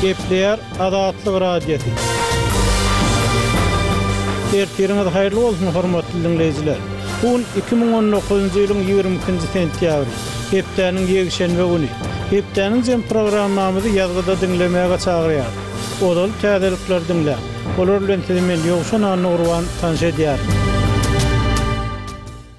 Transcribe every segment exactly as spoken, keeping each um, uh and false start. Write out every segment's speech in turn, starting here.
Gepleýär Azatlyk Radiosy. Ertiriňiz haýyrly bolsun, hormatly diňleýjiler. Bu gün iki müň on dokuzynjy ýylyň ýigrimi ikinji sentýabry, hepdäniň ýekşenbe güni. Hepdäniň jem programmamyzy ýazgyda diňlemäge çagyrýarys. Ozal täzelikleri diňläň. Olar bilen sizi men Ýowşan Annagurban tanyş edýärin.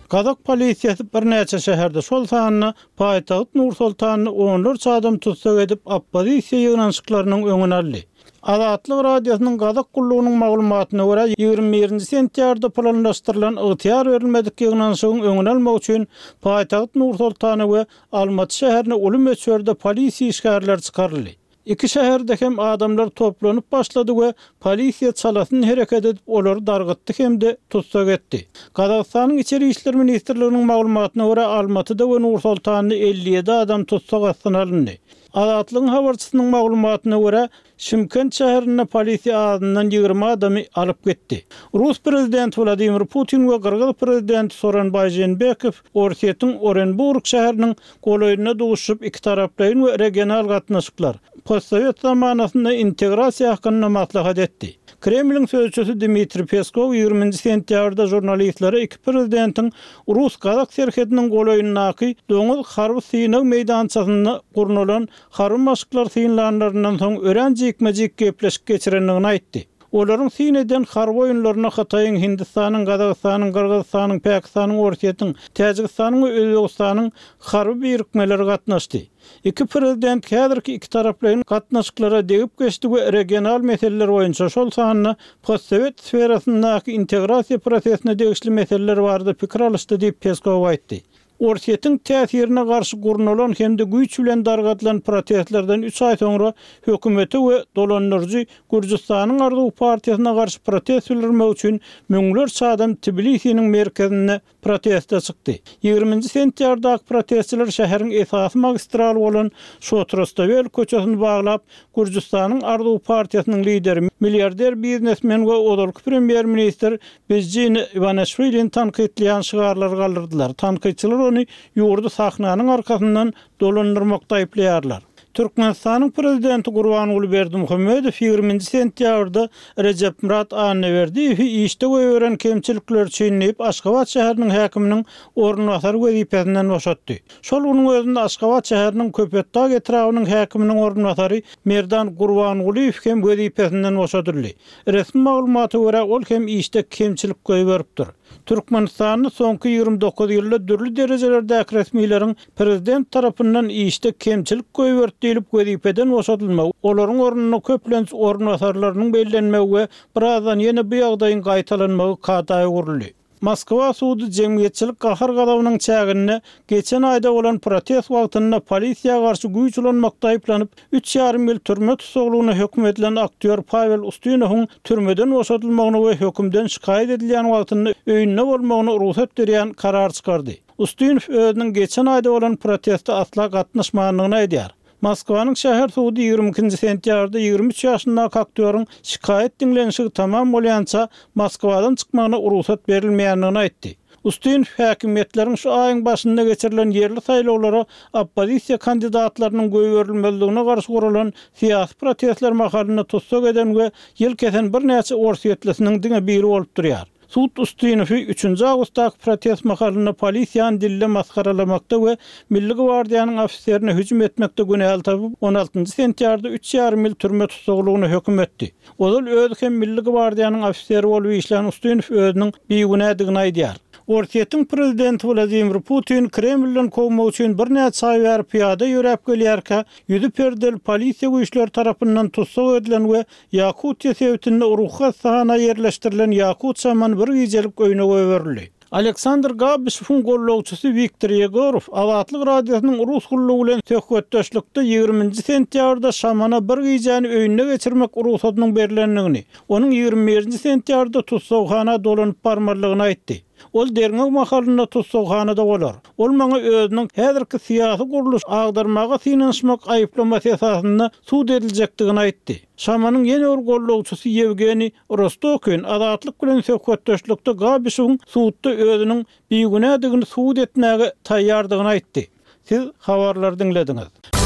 Gazak polisiýasy birnäçe şäherde, şol sanda paýtagt Nur-Sultanda onlarça adam tussag edip, oppozisiýa ýygnanyşyklarynyň öňüni aldy. Azatlyk Radiosynyň Gazak gullugynyň maglumatyna görä, ýigrimi birinji sentýabrda planlaşdyrylan ygtyýar berilmedik ýygnanyşygyň öňüni almak üçin paýtagt Nur-Sultana we Almaty şäherine uly möçberde polisiýa işgärleri çykaryldy. Iki şäherde hem adamlar toplanyp başlady we polisiýa çalasyn hereket edip, olary dargytdy hem-de tussag etdi. Gazagystanyň Içeri işler ministrliginiň maglumatyna görä, Almatyda we Nur-Sultanda elli ýedi adam tussag astyna alyndy. Azatlygyň habarçysynyň maglumatyna görä, Şymkent şäherinde polisiýa azyndan ýigrimi adamy alyp gitdi. Rus prezidenti Wladimir Putin we gyrgyz prezidenti Soronbaý Jeenbekow Orsýetiň Orenburg şäheriniň golaýynda duşuşyp, ikitaraplaýyn we regional gatnaşyklar, postsowet zamanasynda integrasiýa hakynda maslahat etdi. Kremliň sözçüsi Dmitriý Peskow ýigriminji sentýabrda žurnalistlere iki prezidentiň rus-gazak serhediniň golaýyndaky doňuz harby synag meýdançasynda gurnalan harby maşklar synlanlaryndan soň örän jikme-jik gepleşik geçirendigini aýtdy. Olaryň syn eden harby oýunlaryna Hytaýyň, Hindistanyň, Gazagystanyň, Gyrgyzystanyň, Pakistanyň, Orsýetiň, Täjigistanyň we Özbegistanyň harby birikmeleri gatnaşdy. Iki prezident häzirki iki taraplaýyn gatnaşyklara degip geçdi we regional meseleler boýunça, şol sanda postsowet sferasyndaky integrasiýa prosesine degişli meseleler barada pikir alyşdy diýip Peskow aýtdy. Orsýetiň täsirine garşy gurnalan hem-de güýç bilen dargadylan protestlerden üç aý soňra hökümete we dolandyryjy Gürjüstanyň Arzuw partiýasyna garşy protest bildirmek üçin müňlerçe adam Tbilisiniň merkezinde proteste çykdy. Ýigriminji sentýabrdaky protestçiler şäheriň esasy magistraly bolan Şotrostawel köçesini baglap, Gürjüstanyň Arzuw partiýasynyň lideri, milliarder biznesmen we ozalky premýer-ministr Bidzina Iwaneşwilini tankytlaýan şygarlary galdyrdylar. Tankytçylar ony ýurdy sahnanyň arkasyndan dolandyrmakda aýyplaýarlar. Türkmenistanyň prezidenti Gurbanguly Berdimuhamedow ýigriminji sentýabrda Rejepmyrat Annaberdiýewi işde goýberen kemçilikleri üçin diýip, Aşgabat şäheriniň häkiminiň orunbasary wezipesinden boşatdy. Şol günüň özünde Aşgabat şäheriniň Köpetdag etrabynyň häkiminiň orunbasary Merdan Gurbangulyýew hem wezipesinden boşadyldy. Resmi maglumata görä, ol hem işde kemçilik goýberipdir. Türkmenistanda soňky ýigrimi dokuz ýylda dürli derejelerdäki resmileriň prezident tarapyndan işde kemçilik goýberdi diýlip wezipeden boşadylmagy, olaryň ornuna köplenç orunbasarlarynyň bellenmegi we birazdan ýene bu ýagdaýyň gaýtalanmagy kada öwrüldi. Moskwa sudy jemgyýetçilik gahar-gazabynyň çäginde geçen aýda bolan protest wagtynda polisiýa garşy güýç ulanmakda aýyplanyp, üç ýarym ýyl türme tussaglygyna höküm edilen aktýor Pawel Ustinowyň türmeden boşadylmagyna we hökümden şikaýat edilýän wagtynda öýünde bolmagyna rugsat berýän karar çykardy. Ustinow özüniň geçen aýda bolan proteste asla gatnaşmandygyny aýdýar. Moskwanyň şäher sudy ýigrimi ikinji sentýabrda ýigrimi üç ýaşyndaky aktýoryň şikaýat diňlenişigi tamam bolýança Moskwadan çykmagyna rugsat berilmeýändigini aýtdy. Ustinow häkimiýetleriň şu aýyň başynda geçirilen ýerli saýlawlara oppozisiýa kandidatlarynyň goýberilmezligine garşy guralan syýasy protestler mahalynda tussag eden we ýyl kesen birnäçe orsýetlisiniň diňe biri bolup durýar. Sud Ustinowy üçünji awgustdaky protest mahalynda polisiýany dilde masgaralamakda we Milli gwardiýanyň ofiserine hüjüm etmekde günäli tapyp, on altynjy sentýabrda üç ýarym ýyl türme tussaglygyna höküm etdi. Ozal özi hem Milli gwardiýanyň ofiseri bolup işlän Ustinow özüniň bigünädigini aýdýar. Orsýetiň prezidenti Wladimir Putin Kremlden kowmak üçin birnäçe aý bäri pyýada ýöräp gelýärkä, ýüzi perdeli polisiýa güýçleri tarapyndan tussag edilen we Ýakutiýa sebitinde ruhy hassahana ýerleşdirilen Ýakut şamany bir gijelik öýüne goýberildi. Aleksandr Gabyshewiň gollagçysy Wiktor Ýegorow Azatlyk Radiosynyň rus gullugy bilen söhbetdeşlikde ýigriminji sentýabrda şamana bir gijäni öýünde geçirmek rugsadynyň berlendigini, onuň ýigrimi birinji sentýabrda tussaghana dolanyp barmalydygyny aýtdy. Ol derňew mahalynda tussaghanada bolar. Ol maňa özüniň häzirki syýasy gurluş agdarmaga synanyşmak aýyplamasy esasynda sud ediljekdigini aýtdy. Şamanyň ýene bir gollagçysy Ýewgeniý Rostokin Azatlyk bilen söhbetdeşlikde Gabyshewiň sudda özüniň bigünädigini subut etmäge taýýardygyny aýtdy. Siz habarlary diňlediňiz.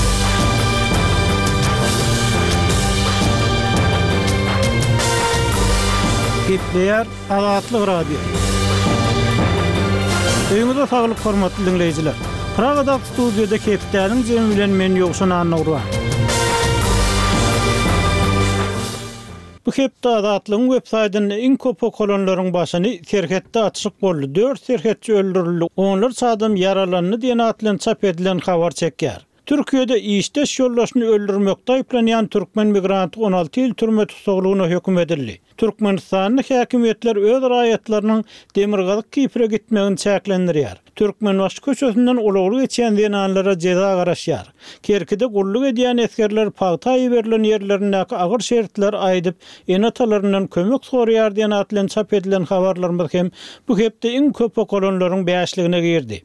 Gepleýär Azatlyk Radiosy. Öýüňize saglyk hormatly diňleýjiler. Pragadaky studiýada hepdäniň jemi bilen men Ýowşan Annagurban. Bu hepde Azatlygyň web saýtynda iň köp okalanlaryň başyny serhetde atyşyk boldy. Dört serhetçi öldürildi, onlarça adam ýaralandy diýen at bilen çap edilen habar çekýär. Türkiýede işdeş ýoldaşyny öldürmekde aýyplanýan türkmen migranty on alty ýyl türme tussaglygyna höküm edildi. Türkmenistanda häkimiýetler öz raýatlarynyň Demirgazyk Kipre gitmegini çäklendirýär. Türkmenbaşy köçesinden ulagly geçýän zenanlara jeza garaşýar. Kerkide gulluk edýän esgerler pagta iberilen ýerlerindäki agyr şertler aýdyp, ene-atalaryndan kömek soraýar diýen at bilen çap edilen habarlarymyz hem bu hepde iň köp okalanlaryň bäşligine girdi.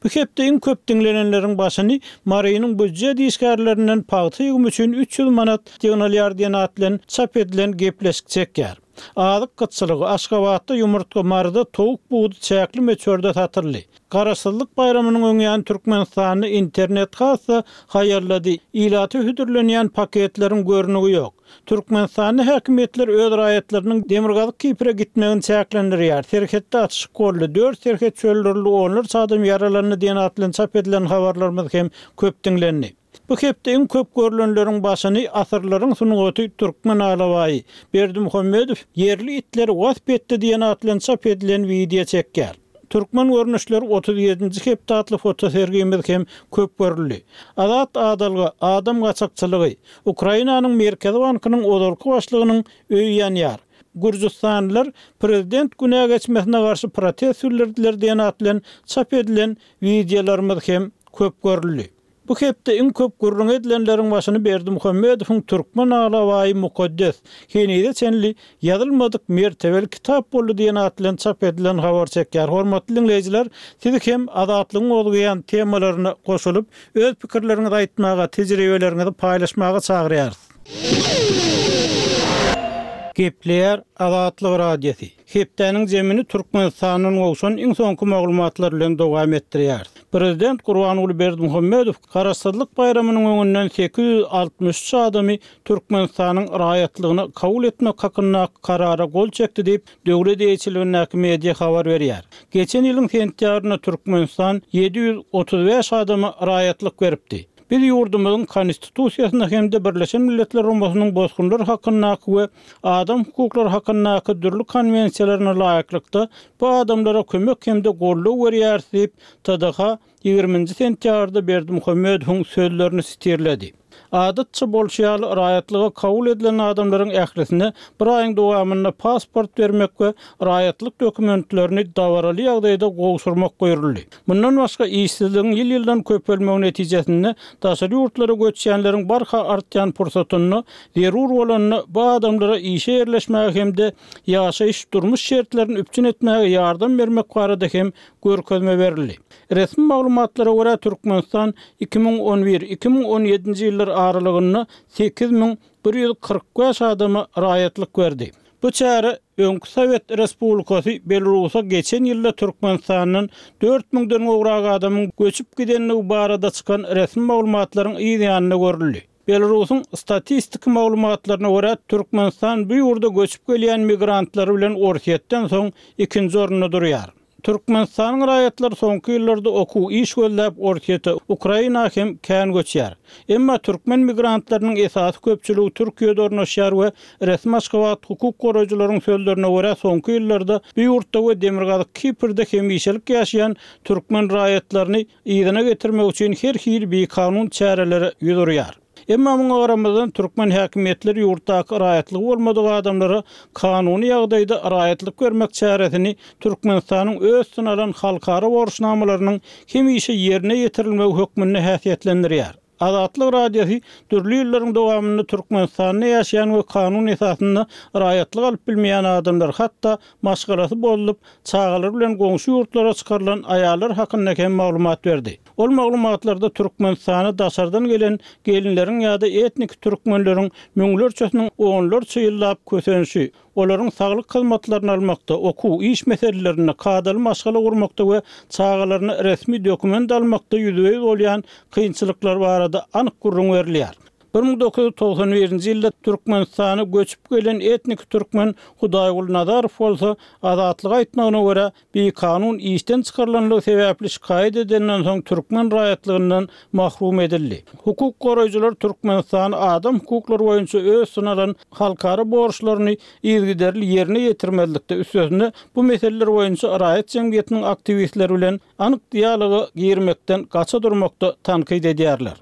Bu hepde iň köp diňlenenleriň başyny Marynyň býujet işgärlerinden pagta ýygymy üçin üç ýüz manat ýygnalýar diýen at bilen çap edilen gepleşik çekýär. Azyk gytçylygy Aşgabatda ýumurtga, Maryda towuk budy çäkli möçberde satyldy. Garaşsyzlyk baýramynyň öňýany Türkmenistanda internet hassa haýallady. Ilaty hödürlenýän paketleriň görnügi ýok. Türkmenistanda häkimiýetler öz raýatlarynyň Demirgazyk Kipre gitmegini çäklendirýär. Serhetde atyşyk boldy. Dört serhetçi öldürildi, onlarça adam ýaralandy diýen at bilen çap edilen habarlarymyz hem köp diňlendi. Bu hepde iň köp görülenleriň başyny asyrlaryň sungaty Türkmen alabaýy Berdimuhamedow ýerli itleri wasp etdi diýen at bilen çap edilen wideo çekýär. Türkmen görnüşleri otuz ýedinji hepde atly fotosergimiz hem köp görüldi. Azat adalga, adam gaçakçylygy, Ukrainanyň Merkezi bankynyň ozalky başlygynyň öýi ýanýar. Gürjüstanlylar prezident günä geçmesine garşy protest bildirdiler diýen at bilen çap edilen wideolarymyz hem köp görüldi. Bu hepde iň köp gürrüň edilenleriň başyny Berdimuhamedowyň Türkmen alabaýy mukaddes, henize çenli ýazylmadyk mertebeli kitap boldy diýen at bilen çap edilen habar çekýär. Hormatly diňleýjiler, sizi hem Azatlygyň gozgaýan temalaryna goşulyp, öz pikirleriňizi aýtmaga, tejribeleriňizi paýlaşmaga çagyrýarys. Gepleýär Azatlyk Radiosy. Hepdäniň jemini Türkmenistandan gowşan iň soňky maglumatlar bilen dowam etdirýär. Prezident Gurbanguly Berdimuhamedow Garaşsyzlyk baýramynyň öňünden sekiz ýüz altmyş üç adamy Türkmenistanyň raýatlygyna kabul etmek hakyndaky karara gol çekdi diýip, döwlet eýeçiligindäki media habar berýär. Geçen ýylyň sentýabrynda Türkmenistan ýedi ýüz otuz bäş adama raýatlyk beripdi. Biz ýurdumyzyň konstitusiýasyna hem-de Birleşen Milletler Guramasynyň bosgunlar hakyndaky we adam hukuklary hakyndaky dürli konwensiýalaryna laýyklykda bu adamlara kömek hem-de goldaw berýäris diýip, T D H ýigriminji sentýabrda Berdimuhamedowyň sözlerini sitirledi. Adatça bolşy ýaly raýatlyga kabul edilen adamlaryň ählisine bir aýyň dowamynda pasport bermek we raýatlyk dokumentlerini dabaraly ýagdaýda gowşurmak buýruldy. Mundan başga işsizligiň ýyl-ýyldan köpelmegi netijesinde daşary ýurtlara göçýänleriň barha artýan pursatynda zerur bolanda bu adamlara işe ýerleşmäge hem-de ýaşaýyş durmuş şertlerini üpjün etmäge ýardam bermek barada hem görkezme berildi. Resmi maglumatlara görä Türkmenistan iki müň on bir iki müň on ýedinji ýyllar aralygynda sekiz müň bir ýüz kyrk bäş adama raýatlyk berdi. Bu çäre öňki Sowet Respublikasy Belarusa geçen ýylda Türkmenistandan dört müňden gowrak adamyň göçüp gidenligi barada çykan resmi maglumatlaryň yz ýanynda görüldi. Belarusyň statistik maglumatlaryna görä Türkmenistan bu ýurda göçüp gelýän migrantlary bilen Orsýetden soň ikinji orunda durýar. Türkmenistanyň raýatlary soňky ýyllarda okuw iş gözläp Orsýete, Ukraina hem kän göçýär. Emma türkmen migrantlarynyň esasy köpçüligi Türkiýede ornaşýar we resmi Aşgabat hukuk goraýjylaryň sözlerine görä soňky ýyllarda bu ýurtda we Demirgazyk Kiprde hemişelik ýaşaýan türkmen raýatlaryny yzyna getirmek üçin her hili bikanun çärelere ýüz urýar. Emma muňa garamazdan türkmen häkimiýetleri ýurtdaky raýatlygy bolmadyk adamlara kanuny ýagdaýda raýatlyk bermek çäresini Türkmenistanyň öz üstüne alan halkara borçnamalarynyň hemişe ýerine ýetirilmegi hökmünde häsiýetlendirýär. Azatlyk Radiosy dürli ýyllaryň dowamynda Türkmenistanda ýaşaýan we kanun esasynda raýatlyk alyp bilmeýän adamlar, hatda maşgalasy bozulyp, çagalar bilen goňşy ýurtlara çykarylan aýallar hakynda hem maglumat berdi. Ol maglumatlarda Türkmenistana daşardan gelen gelinleriň ýa-da etnik türkmenleriň müňlerçesiniň onlarça ýyllap kösenişi, olaryň saglyk hyzmatlaryny almakda, okuw, iş meselelerinde, kadaly maşgala gurmakda we çagalaryna resmi dokument almakda ýüzbe-ýüz bolýan kynçylyklar barada anyk gürrüň berilýär. Bir müň dokuz ýüz togsan birinji ýylda Türkmenistana göçüp gelen etnik türkmen Hudaýguly Nazarow bolsa, Azatlyga aýtmagyna görä, bikanun işden çykarylanlygy sebäpli şikaýat edenden soň türkmen raýatlygyndan mahrum edildi. Hukuk goraýjylar Türkmenistany adam hukuklary boýunça öz üstüne alan halkara borçlaryny yzygiderli ýerine ýetirmezlikde, üstesine bu meseleler boýunça raýat jemgyýetiniň aktiwistleri bilen anyk dialoga girmekden gaça durmakda tankyt edýärler.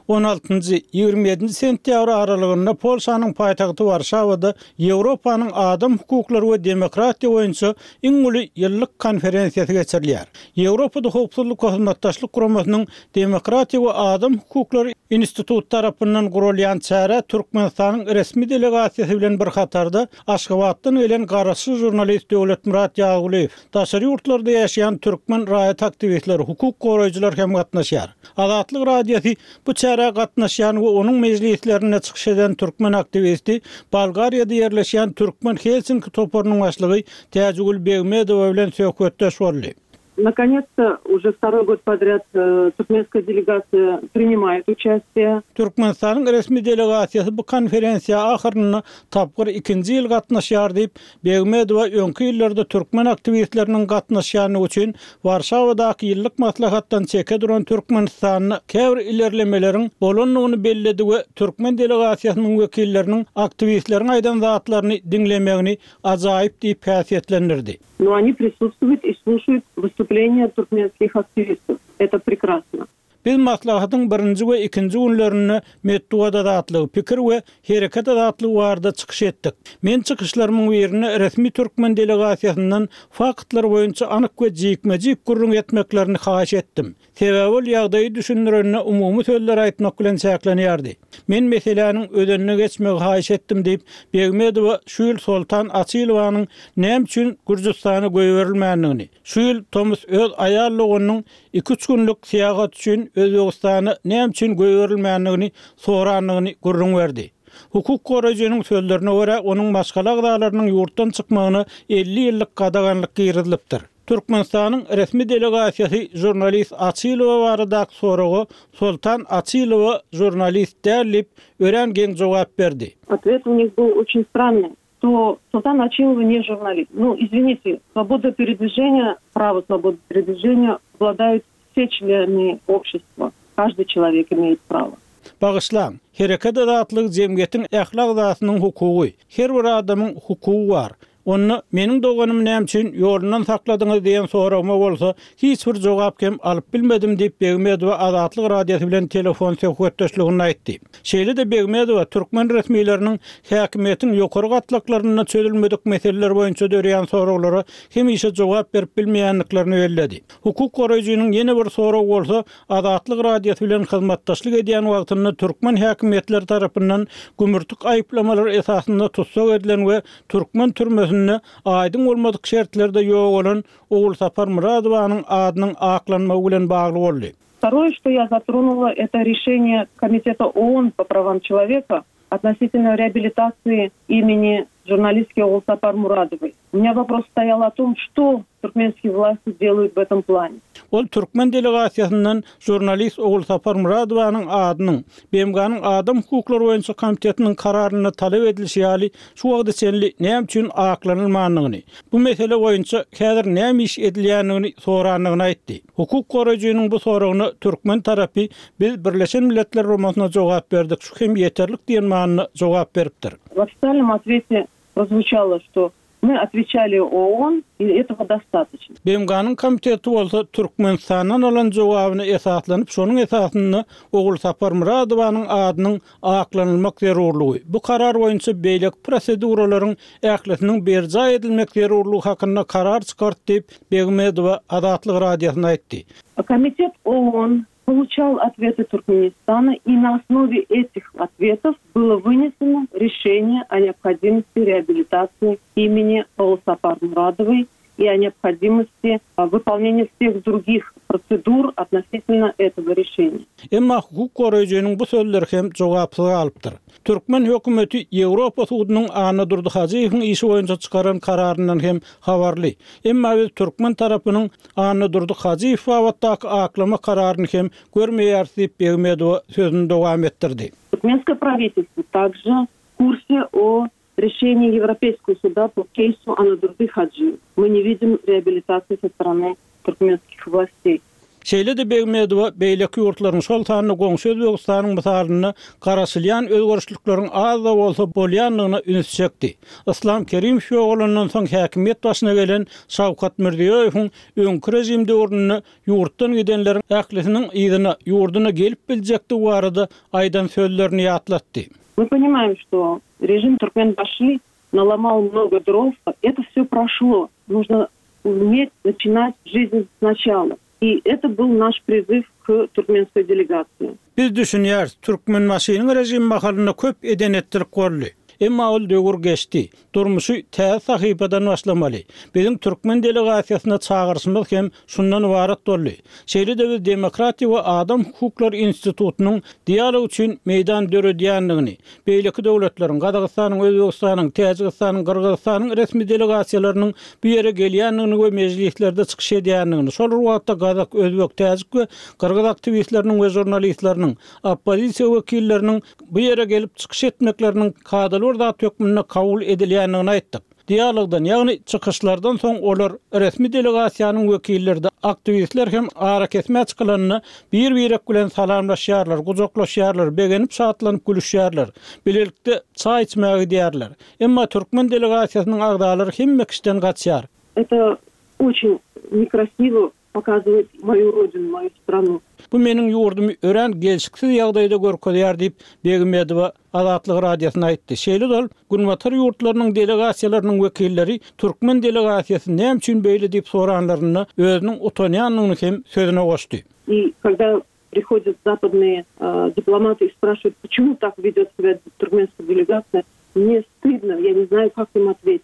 On altynjy, ýigrimi ýedinji sentýabr aralygynda Polşanyň paýtagty Warşawada Ýewropanyň adam hukuklary we demokratiýa boýunça iň uly ýyllyk konferensiýasy geçirilýär. Ýewropada Howpsuzlyk we Hyzmatdaşlyk Guramasynyň Demokratiýa we adam hukuklary instituty tarapyndan guralýan çärä Türkmenistanyň resmi delegasiýasy bilen bir hatarda Aşgabatdan gelen garaşsyz žurnalist Döwletmyrat Ýazgulyýew, daşary ýurtlarda ýaşaýan türkmen raýat aktiwistleri, hukuk goraýjylar hem gatnaşýar. Azatlyk Radiosy bu çärä gatnaşýan we onuň mejlislerinde çykyş eden türkmen aktiwisti, Bolgariýada ýerleşýän Türkmen Helsinki toparynyň başlygy Täjigül Begmedowa bilen söhbetdeş boldy. Nakonec-to, уже второй год подряд türkmenskaya delegasiýa принимает участие. Türkmenistanyň resmi delegasiýasy bu konferensiýa ahyrynda tapgyr ikinji ýyl gatnaşýar diýip, Begmedowa öňki ýyllarda türkmen aktiwistleriniň gatnaşýanlygy üçin Warşawadaky ýyllyk maslahatdan çeke duran Türkmenistanda käbir ilerlemeleriň bolandygyny belledi we türkmen delegasiýasynyň wekilleriniň aktiwistleriň aýdan zatlaryny diňlemegini ajaýyp diýip häsiýetlendirdi. Но они присутствуют и слушают выступления туркменских активистов. Это прекрасно. Biz maslahatyň birinji we ikinji günlerinde metbugat azatlygy, pikir we hereket azatlygy barada çykyş etdik. Men çykyşlarymyň birinde resmi türkmen delegasiýasyndan faktlar boýunça anyk we jikme-jik gürrüň etmeklerini haýyş etdim. Sebäbi ol ýagdaýy düşündirende umumy sözler aýtmak bilen çäklenýärdi. Men meseläniň özenine geçmegi haýyş etdim diýip, Begmedowa şu ýyl Soltan Açylowanyň näme üçin Gürjüstana goýberilmändigini, şu ýyl tomus öz aýal doganynyň iki-üç günlük syýahat üçin Özbegistana näme üçin goýberilmändigini sorandygyny gürrüň berdi. Hukuk goraýjynyň sözlerine görä, onuň maşgala agzalarynyň ýurtdan çykmagyna elli ýyllyk gadaganlyk girizilipdir. Türkmenistanyň resmi delegasiýasy žurnalist Açylowa baradaky soraga Soltan Açylowa žurnalist däl diýip, örän geň jogap berdi. Ответ у них был очень странный. То Султан Ачилова не журналист. Ну, извините, свобода передвижения, право свободы передвижения обладают все члены общества. Каждый человек имеет право. Bagyşlaň, hereket azatlygy jemgyýetiň ähli agzasynyň hukugy. Her bir adamyň hukugy bar. Onda meniň doganym näme üçin ýolundan sakladyňyz diýen soragyma bolsa hiç bir jogap hem alyp bilmedim diýip Begmedowa Azatlyk Radiosy bilen telefon söhbetdeşliginde aýtdy. Şeýle-de Begmedowa türkmen resmileriniň häkimiýetiň ýokary gatlaklarynda çözülmedik meseleler boýunça döreýän soraglara hemişe jogap berip bilmeýändiklerini belledi. Hukuk goraýjynyň ýene bir soragy bolsa Azatlyk Radiosy bilen hyzmatdaşlyk edýän wagtynda türkmen häkimiýetleri tarapyndan gümürtik aýyplamalar esasynda tussag edilen we türkmen türmesinde aýdyň bolmadyk şertlerde ýok bolan Ogulsapar Muradowanyň adynyň aklanmagy bilen bagly boldy. Второе, что я затронула, это решение Комитета ООН по правам человека относительно реабилитации имени журналистки Огулсапар Мурадовой. У меня вопрос стоял о том, что туркменские власти делают в этом плане. Ol türkmen delegasiýasyndan žurnalist Ogulsapar Muradowanyň adynyň B M G-nyň Adam hukuklary boýunça komitetiniň kararynda talap edilişi ýaly şu wagta çenli näme üçin aklanylmandygyny, bu mesele boýunça häzir näme iş edilýändigini sorandygyny aýtdy. Hukuk goraýjynyň bu soragyna türkmen tarapy biz Birleşen Milletler Guramasyna jogap berdik, şu hem ýeterlik diýen manyda jogap beripdir. В официальном ответе прозвучало, что мы отвечали ООН, и этого достаточно. B M G-nyň komiteti bolsa Türkmenistandan alan jogabyny esaslanyp, şonuň esasynda Ogulsapar Muradowanyň adynyň aklanylmak zerurlygy, bu karar boýunça beýleki proseduralaryň ählisiniň berjaý edilmek zerurlygy hakynda karar çykartdy diýip Begmedowa Azatlyk Radiosyna aýtdy. Комитет ООН получал ответы Туркменистана, и на основе этих ответов было вынесено решение о необходимости реабилитации имени Огулсапар Мурадовой и о необходимости выполнения всех других процедур относительно этого решения. Emma hukuk goraýjynyň bu sözleri hem jogapsyz galypdyr. Türkmen hökümeti Ýewropa sudunyň Annadurdy Hajyýewiň işi boýunça çykaran kararyndan hem habarly. Emma biz türkmen tarapynyň Annadurdy Hajyýew babatdaky aklama kararyny hem görmeýäris diýip Begmedowa sözüni dowam etdirdi. Туркменское правительство также в курсе о решении Европейского суда по кейсу Аннадурды Хаджиева. Мы не видим реабилитации со стороны туркменских властей. Şeýle-de Begmedowa beýleki ýurtlaryň şol sanda goňşy Özbegistanyň mysalynda garaşylýan özgerişlikleriň az-da bolsa bolýandygyna üns çekdi. Islam Kerimow ýogalandan soň häkimiýet başyna gelen Şawkat Mirziýoýewiň öňki rejim döwründe ýurtdan gidenleriň ählisiniň yzyna ýurduna gelip biljekdigi barada aýdan sözlerini ýatlatdy. Мы понимаем, что режим Туркменбаши наломал много дров. Это все прошло. Нужно уметь начинать жизнь сначала. И это был наш призыв к туркменской делегации. Biz düşünýäris, Türkmenbaşynyň rejim mahalynda köp eden-etdilik boldy. Emma ol döwür geçdi. Durmuşy täze sahypadan başlamaly. Biziň türkmen delegasiýasyna çagyryşymyz hem şundan ybarat boldy. Şeýle-de biz Demokratiýa we Adam Hukuklary institutynyň dialog üçin meýdan döredýändigini, beýleki döwletleriň, Gazagystanyň, Özbegistanyň, Täjigistanyň, Gyrgyzystanyň resmi delegasiýalarynyň bu ýere gelýändigini we mejlislerde çykyş edýändigini, şol bir wagtda Gazak, Özbek, Täjik we Gyrgyz aktiwistleriniň we žurnalistleriniň, oppozisiýa wekilleriniň bu ýere gelip çykyş etmekleriniň kadaly bir zat hökmünde kabul edilýändigini aýtdyk. Dialogdan, ýagny çykyşlardan soň olar resmi delegasiýanyň wekilleri de aktiwistler hem arakesmä çykylanyna bir-birek bilen salamlaşýarlar, gujaklaşýarlar, begenip şatlanyp gülüşýärler. Bilelikde çaý içmäge gidýärler. Emma türkmen delegasiýasynyň agzalary hemme kişiden gaçýar. Это очень некрасиво показывает мою родину, мою страну. Bu meniň ýurdumy örän gelşiksiz ýagdaýda görkezýär diýip Begmedowa Azatlyk radiosyna aýtdy. Şeýle ol Günbatar ýurtlarynyň delegasiýalarynyň wekilleri türkmen delegasiýasy näme üçin beýle diýip soranlarynda özüniň utanýandygyny hem sözüne goşdy. И когда приходят западные, э, дипломаты и спрашивают, почему так ведет себя туркменская делегация, мне стыдно, я не знаю, как им ответить.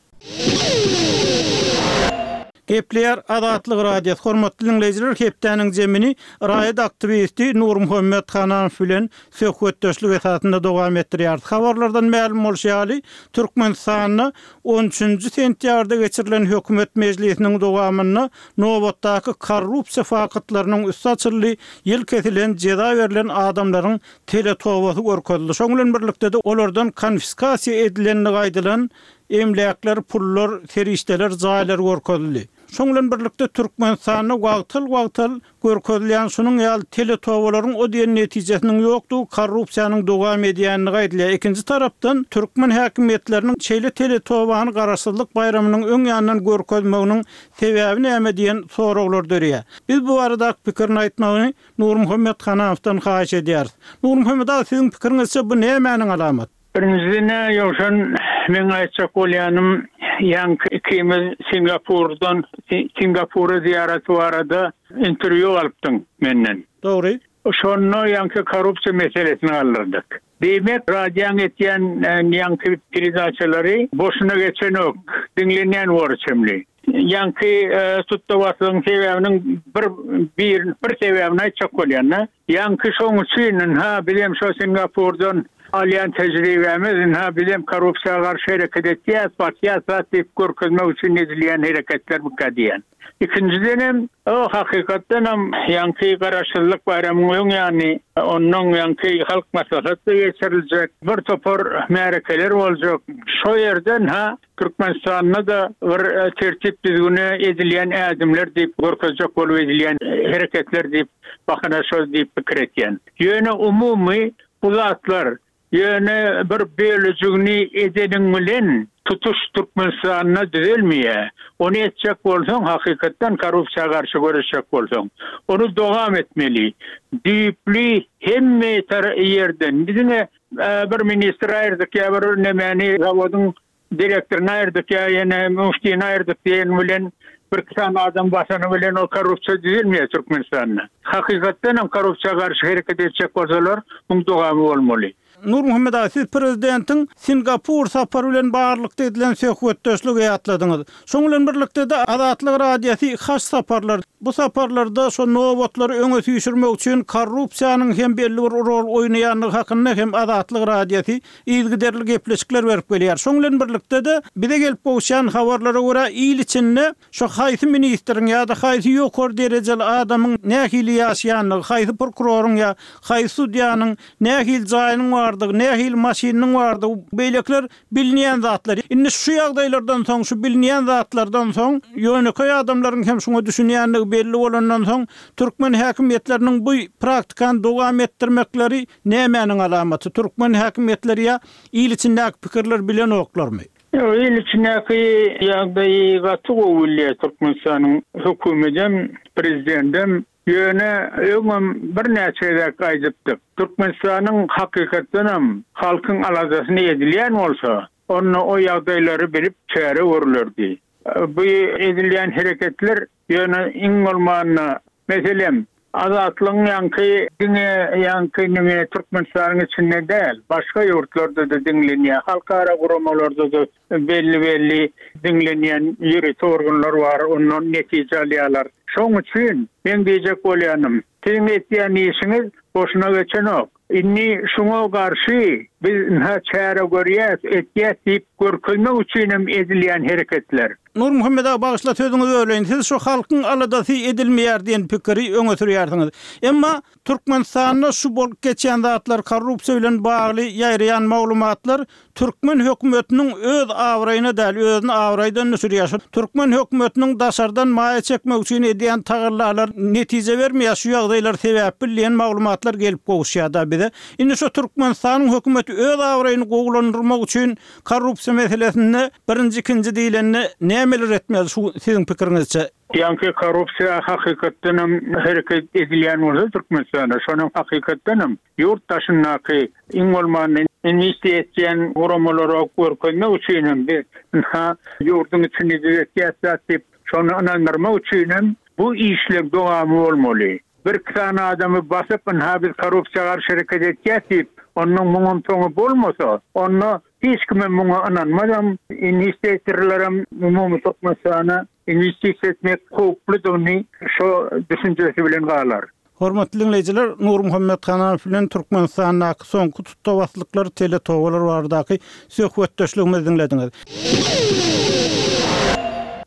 Gepleýär Azatlyk Radiosy hormatly dinleýjiler hepdäniň zemini raýat aktiwisti Nurmuhammet Hananow bilen söhbetdeşlik esasynda dowam etdirýär. Habarlardan mälim bolşy ýaly, Türkmenistanda on üçünji sentýabrda geçirilen hökümet mejlisiniň dowamynda nobatdaky korrupsiýa faktlarynyň üsti açyldy, ýyl kesilen jeza berlen adamlaryň teletobasy görkezildi. Şonuň bilen birlikde de olardan konfiskasiýa edilenligi aýdylan emläkler, pullar, serişdeler, jaýlar görkezildi. Şonuň bilen birlikde Türkmenistanda wagtal-wagtal görkezilýän şunuň ýaly teletobalaryň o diýen netijesiniň ýokdugy, korrupsiýanyň dowam edýänligi aýdylýar. Ikinji tarapdan türkmen häkimiýetleriniň şeýle teletobany garaşsyzlyk baýramynyň öň ýanyndan görkezmeginiň sebäbi näme diýen soraglar dörýär. Biz bu barada pikirini aýtmagyny Nurmuhammet Hananowdan haýyş edýäris. Nurmuhammet aga, siziň pikiriňizçe bu nämäniň alamaty? Birinjiden ýowşan men aýtjak bolýanym, ýaňky ikimiz Singapurdan Singapura ziýaraty barada interwýu alypdyň menden. Dogry. Şonda ýaňky korrupsiýa meselesini aldyrdyk. Diýmek, radioň etýän, e, ýaňky peredaçalary boşuna geçenok, diňlenýän bor çemli. Ýaňky, e, tutdawatlygyň sebäbiniň bir, bir, bir sebäbini aýtjak bolýan-da. Ýaňky şoň üçin, ha, bilem şo Singapurdan alýan tejribemiz, ha, bilem korrupsiýa garşy hereket etýär, batýar, zat diýip görkezmek üçin edilýän hereketler bu diýen. Ikinjiden o hakykatdan hem ýaňky garaşsyzlyk baýramynyň öň ýany, ondan ýaňky halk maslahaty geçiriljek, bir topar märekeler boljak. Şo ýerden ha Türkmenistanda da bir, e, tertip düzgüne edilýän ädimler diýip görkezjek bolup edilýän hereketler diýip bahana şol diýip pikir etýän. Ýöne umumy bu zatlar ýöne bir bölüjigini edeniň bilen tutuş Türkmenistanda düzelmeýär. Ony etjek bolsaň, hakykatdan korrupsiýa garşy göreşjek bolsaň, ony dowam etmeli. Düýpli hemme tar ýerden bizine, e, bir ministr aýyrdyk ýa bir nemäni zawodyň direktoryny aýyrdyk ýa ýene müftini aýyrdyk diýen bilen bir tane adam basany bilen o korrupsiýa düzelmeýär Türkmenistanda. Hakykatdan hem korrupsiýa garşy hereket etjek bolsalar, muň dowamy bolmaly. Nurmuhammet aga, siz prezidentiň Singapur sapary bilen baglylykda edilen söhbetdeşligi ýatladyňyz. Şoň bilen birlikde-de Azatlyk Radiosy haç saparlar, bu saparlarda şo nobatlary öňe süýşürmek üçin korrupsiýanyň hem belli bir rol oýnaýandygy hakynda hem Azatlyk Radiosy yzygiderli gepleşikler berip gelýär. Şoň bilen birlikde-de bize gelip gowuşýan habarlara görä il içinde şo haýsy ministriň ýa-da haýsy ýokary derejeli adamyň nähili ýaşaýandygy, haýsy prokuroryň ýa haýsy sudýanyň nähili jaýynyň bardygy, nähili maşynynyň bardygy, beýlekiler bilinýän zatlar. Indi şu ýagdaýlardan soň, şu bilinýän zatlardan soň, ýönekeý adamlaryň hem şuňa düşünýändigi belli bolandan soň, türkmen häkimiýetleriniň bu praktikany dowam etdirmekleri nämäniň alamaty? Türkmen häkimiýetleri ýa il içindäki pikirler bilenoklarmy? Ýok, il içindäki ýagdaýy gaty gowy bilýär Türkmenistanyň hökümetem, prezidentem. Ýöne öňem birnäçe gezek aýdypdyk. Türkmenistanyň hakykatdanam halkyň aladasyny edilýän bolsa, onda o ýagdaýlary bilip çäre görülerdi. Bu edilýän hereketler ýöne iň bolmanda, meselem, Azatlygyň ýaňky diňe ýaňky nime Türkmenistanyň içinde däl, başga ýurtlarda-da diňlenýär. Halkara guramalarda-da belli-belli diňlenýän ýörite organlar bar, ondan netije alýarlar. Şoň üçin men diýjek bolýanym, siziň etýän işiňiz boşuna geçenok. Indi şuňa garşy biz ynha çäre görýäs, etýäs diýip görkezmek üçin hem edilýän hereketler. Nurmuhammet aga, bagyşla sözüňizi böleýin. Siz şu halkyň aladasy edilmeýär diýen pikiri öňe sürýärsiňiz. Emma Türkmenistanda şu bolup geçýän zatlar, korrupsiýa bilen bagly ýaýraýan maglumatlar türkmen hökümetiniň öz abraýyna däl, özüni abraýdan düşürýär. Şu türkmen hökümetiniň daşardan maýa çekmek üçin edýän tagallalar netije bermeýär. Şu ýagdaýlar sebäpli diýen maglumatlar gelip gowuşýar da bize. Indi şu Türkmenistanyň hökümeti öz abraýyny gowulandyrmak üçin korrupsiýa meselesinde birinji, ikinji diýlende nämeler etmeli şu siziň pikiriňizçe? Ýaňky korrupsiýa hakykatdanam hereket edilýän bolsa Türkmenistanda, şonuň hakykatdanam ýurt daşyndaky iň bolmanda investisiýa etýän guramalara görkezmek üçin hem biz ynha ýurduň içinde düzetýäs zat diýip, şony ynandyrmak üçin hem bu işler dowamy bolmaly. Bir iki sany adamy basyp, ynha biz korrupsiýa garşy hereket etýäs diýip, onuň muňam soňy bolmasa, onda hiç kimem muňa ynanmazam, investitorlaram umumy Türkmenistana investisiýa etmek howpludygyny şo düşünjesi bilen galar. Hormatly dinleýjiler, Nurmuhammet Hanamow bilen Türkmenistandaky soňky tutdabaslyklar, teletobalar baradaky söhbetdeşligimizi diňlediňiz.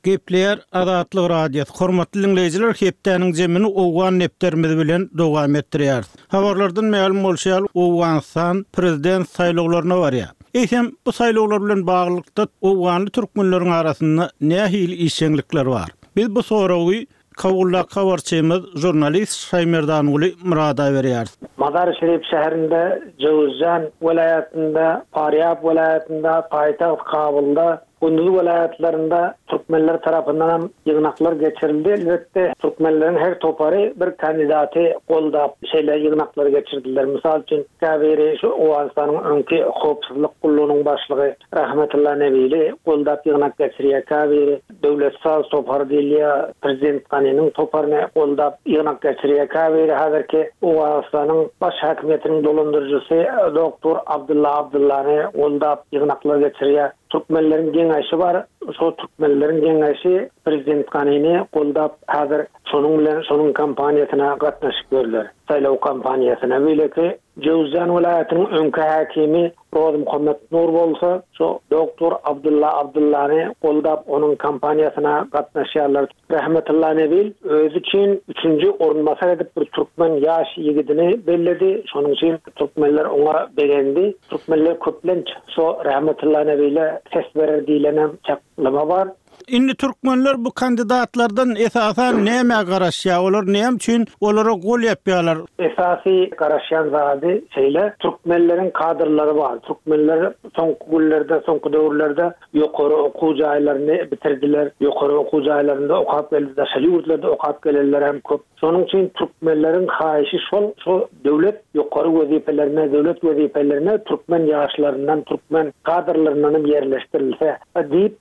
Gepleýär Azatlyk Radiosy. Hormatly dinleýjiler, hepdäniň jemini Owgan depderimiz bilen dowam etdirýäris. Habarlardan mälim bolşy ýaly, Owganystan prezident saýlawlaryna barýar. Eýsem, bu saýlawlar bilen baglylykda owganly türkmenleriň arasynda nähili işjeňlikler bar? Biz bu soragy Kabuldaky habarçymyz žurnalist Şaýmerdanguly Murada berýäris. Mazar-i Şerif şäherinde, Jowzjan welaýatynda, Farýab welaýatynda, paýtagt Kabulda, Gunduz welaýatlarynda türkmenler tarapyndan hem ýygnaklar geçirildi. Elbetde, türkmenleriň her topary bir kandidaty goldap şeýle ýygnaklary geçirdiler. Mysal üçin, käbiri şu Owganystanyň öňki howpsuzlyk gullugynyň başlygy Rahmetulla Nebili goldap ýygnak geçirýär, käbiri Döwlet saz topary diýilýär, prezident Ganiniň toparyny goldap ýygnak geçirýär, käbiri häzirki Owganystanyň baş häkimiýetiniň dolandyryjysy doktor Abdylla Abdyllany goldap ýygnaklar geçirýär. Türkmenleriň geňeşi bar, şo türkmenleriň geňeşi prezident Ganini goldap häzir şonuň bilen şonuň kampaniýasyna gatnaşyp ýörler, saýlaw kampaniýasyna. Beýleki Jöwzjan welaýatynyň öňki häkimi Rozmuhammet Nur bolsa şo doktor Abdylla Abdyllany goldap onuň kampaniýasyna gatnaşýarlar. Rahmetulla Nebil özi üçin üçünji orunbasar edip bir türkmen ýaş ýigidini belledi. Şonuň üçin türkmenler oňa begendi. Türkmenler köplenç şo Rahmetulla Nebile ses berer diýlenem çaklama bar. Indi türkmenler bu kandidatlardan esasan näme garaşýar? Olar näme üçin olara gol ýapýarlar? Esasy garaşýan zady şeýle, türkmenleriň kadrlary bar. Türkmenler soňky günlerde, soňky döwürlerde ýokary okuw jaýlaryny bitirdiler. Ýokary okuw jaýlarynda okap geldi, daşary ýurtlarda okap gelenler hem köp. Şonuň üçin türkmenleriň haýyşy şol, şol döwlet ýokary wezipelerine, döwlet wezipelerine türkmen ýaşlaryndan, türkmen kadrlaryndan hem ýerleşdirilse diýip,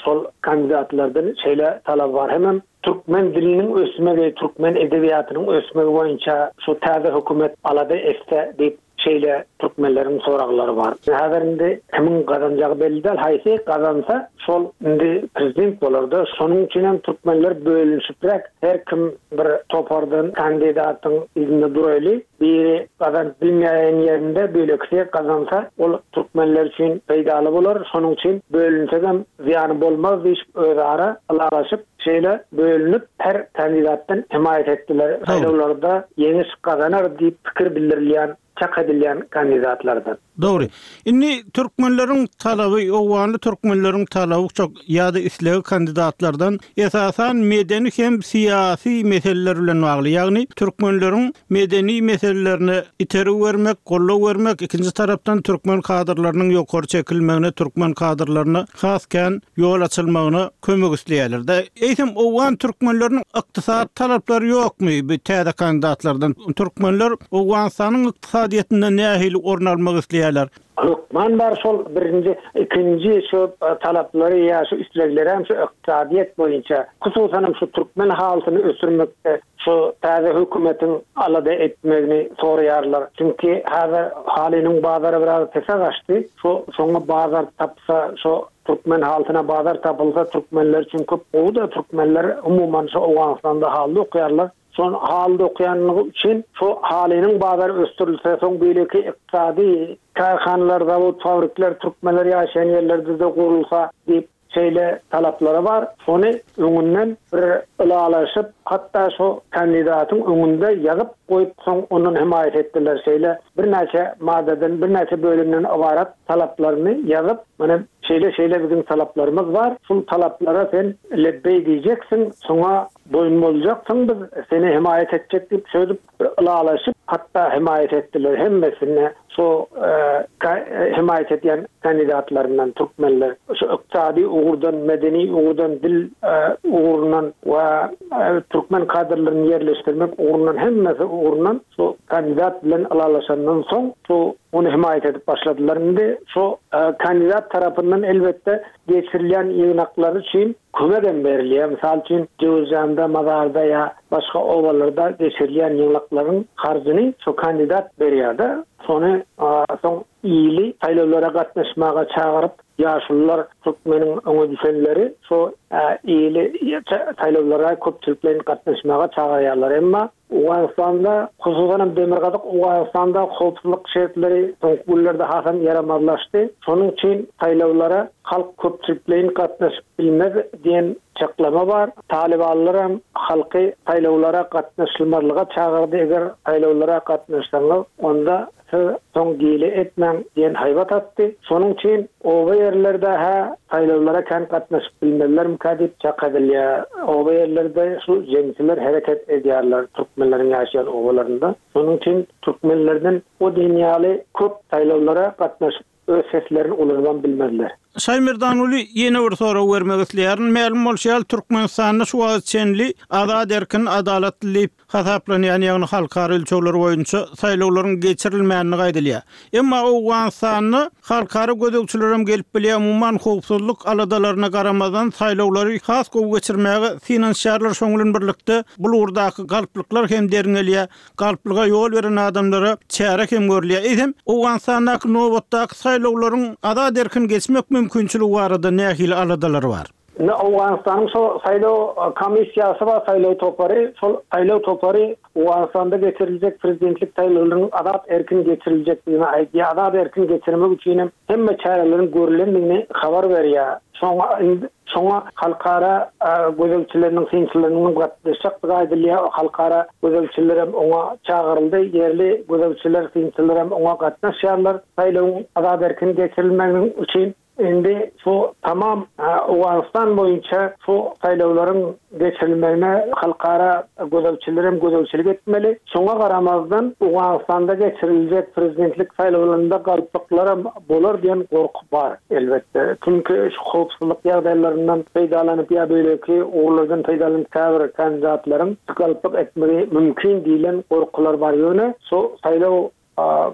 şol kandidatlardan şeýle talap bar. Hemem türkmen diliniň ösmegi, türkmen edebiýatynyň ösmegi boýunça şu täze hökümet alada etse diýip şeýle türkmenleriň soraglary bar. Häzir indi kimiň gazanjagy belli däl, haýsy gazansa şol indi prezident bolar-da. Şonuň üçin hem türkmenler bölünişipräk her kim bir topardan kandidatyň yzynda duraýly, biri gazanyp bilmeýän ýerinde beýlekisi gazansa ol türkmenler üçin peýdaly bolar. Şonuň üçin bölünsegem zyýany bolmaz diýip özara ylalaşyp şeýle bölünip her kandidatdan hemaýat etdiler. Saýlawlarda ýeňiş gazanar diýip pikir bildirilýän, çak edilýän kandidatlardan. Dogry. Indi türkmenleriň talaby, owganly türkmenleriň talaby çok ýa-da islegi kandidatlardan esasan medeni hem syýasy meseleler bilen bagly. Ýagny türkmenleriň medeni meselelerine itergi bermek, goldaw bermek, ikinji tarapdan türkmen kadrlarynyň ýokary çekilmegine, türkmen kadrlaryna has kän ýol açylmagyna kömek isleýärler. Da eýsem owgan türkmenleriniň ykdysady talaplary ýokmy bu täze kandidatlardan? Türkmenler Owganystanyň ykdysadyýetinde nähili orun almak isleýärler? Hökman bar şol birinji, ikinji şu talaplary ýa şu islegleri hem şu ykdysadyýet boýunça, hususan hem şu türkmen halysyny ösdürmekde şu täze hökümetiň alada etmegini soraýarlar. Çünki häzir halynyň bazary biraz pese gaçdy. Şu şoňa bazar tapsa, şu türkmen halysyna bazar tapylsa türkmenler üçin köp gowy-da, türkmenler umuman şu Owganystanda haly okaýarlar. Şon haly okaýanlygy üçin şu halynyň bazary ösdürilse, soň beýleki ykdysady kärhanalar, zawod, fabrikler türkmenler ýaşaýan ýerlerde de gurulsa diýip şeýle talaplary bar. Şony öňünden bir ylalaşyp, hatda şu kandidatyň öňünde ýazyp goýup, soň ondan hemaýat etdiler. Şeýle birnäçe maddadan, birnäçe bölümden ybarat talaplaryny ýazyp, mana şeýle şeýle biziň talaplarymyz bar. Şul talaplara sen lebbeý diýjeksin, şoňa boýun boljaksyň, biz seni hemaýat etjek diýip söýüp bir ylalaşyp, hatda hemaýat etdiler hemmesine şu e, ka- e, hemaýat edýän kandidatlaryndan türkmenler şu ykdysady ugurdan, medeni ugurdan, dil e, ugrundan we e, türkmen kadrlaryny ýerleşdirmek ugrundan hemmesi ugrundan şu kandidat bilen ylalaşandan soň şu ony hemaýat edip başladylar. Indi şu e, kandidat tarapyndan elbetde geçirilýän ýygnaklar üçin kömek hem berilýär. Mysal üçin Jöwüzjanda, Mazarda ýa başga obalarda geçirilýän ýygnaklaryň harjyny şu kandidat berýär-de. Şony soň ýyly saýlawlara gatnaşmaga çagyryp, ýaşulular türkmeniň öňe düşenleri şu ýyly saýlawlara köpçülikleýin gatnaşmaga çagyrýarlar. Emma Owganystanda, hususan hem Demirgazyk Owganystanda howpsuzlyk şertleri soňky günlerde hasam ýaramazlaşdy. Şonuň üçin saýlawlara halk köpçülikleýin gatnaşyp bilmez diýen çaklama bar. Talibanlar hem halky saýlawlara gatnaşylmazlyga çagyrdy. Eger saýlawlara gatnaşsaňyz, onda siz soň gile etmäň diýen haýbat atdy. Şonuň üçin oba ýerlerde ha saýlawlara kän gatnaşyp bilmezlermikä diýip çak edilýär. Oba ýerlerde şu jeňçiler hereket edýärler türkmenleriň ýaşaýan obalarynda. Şonuň üçin türkmenlerden o diýen köp saýlawlara gatnaşyp öz seslerini ulanman bilmezler. Şaýmerdanuly ýene bir sorag bermek isleýärin. Mälim bolşy ýaly Türkmenistanda şu wagt çenli azat erkin adalatly diýip hasaplanýan ýagny halkara ölçegleri boýunça saýlawlaryň geçirilmänini aýdylýar. Emma Owganystanda halkara gözegçiler hem gelip bilýär, umuman howpsuzlyk aladalaryna garamazdan saýlawlary has gowy geçirmäge synanyşýarlar. Şonuň bilen birlikde bu ugurdaky galplyklar hem derňelýär. Galplyga ýol beren adamlara çäre hem görülýär. Eýsem Owganystandaky nobatdaky saýlawlaryň azat erkin geçmek mümkinçiligi barada nähili aladalar bar? Ne Owganystanyň şo saýlaw komissiýasy we saýlaw topary, şol saýlaw topary Owganystanda geçiriljek prezidentlik saýlawlarynyň azat erkin geçiriljekdigini aýdýar. Azat erkin geçirmek üçin hem hemme çäreleriň görülendigini habar berýär. Şoňa şoňa halkara gözegçileriniň synçylarynyň gatnaşjakdygy aýdylýar. Halkara gözegçiler hem oňa çagyryldy. Ýerli gözegçiler, synçylar hem oňa gatnaşýarlar. Saýlawyň azat erkin geçirilmeginiň üçin Indi şu tamam Owganystan boýunça şu saýlawlaryň geçirilmegine halkara gözegçiler hem gözegçilik etmeli. Şoňa garamazdan Owganystanda geçiriljek prezidentlik saýlawlarynda galplyklar hem bolar diýen gorky bar elbetde. Çünki şu howpsuzlyk ýagdaýlaryndan peýdalanyp ýa beýleki ugurlardan peýdalanyp käbir kandidatlaryň galplyk etmegi mümkin diýlen gorkular bar. Ýöne şu saýlaw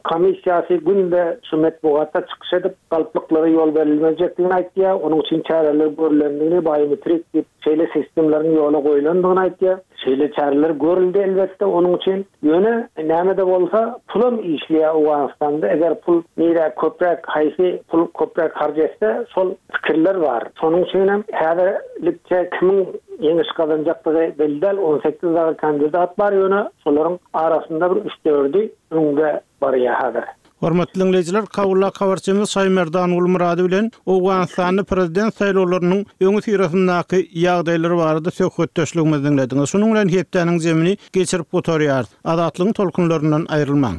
komissiýasy günde şu metbugatda çykyş edip galplyklara ýol berilmejekdigini aýtýar. Onuň üçin çäreler görülendigini, biometrik diýip şeýle sistemleriň ýola goýulandygyny aýtýar. Şeýle çäreler görüldi elbetde onuň üçin. Ýöne näme-de bolsa pulam işleýär Owganystanda. Eger pul nirä köpräk haýsy pul köpräk harç etse şol pikirler bar. Şonuň üçin hem häzirlikçe kimiň ýeňiş gazanjakdygy belli däl. On sekiz dagy kandidat bar ýöne şolaryň arasynda bir üç-dördi öňde barýar häzir. Hormatly diňleýjiler, Kabuldaky habarçymyz Şaýmerdan Gulmyrady bilen Owganystanda prezident saýlawlarynyň öňüsyrasyndaky ýagdaýlar barada söhbetdeşligimizi diňlediňiz. Şunuň bilen hepdäniň zemini geçirip gutarýarys. Azatlygyň tolkunlaryndan aýrylmaň.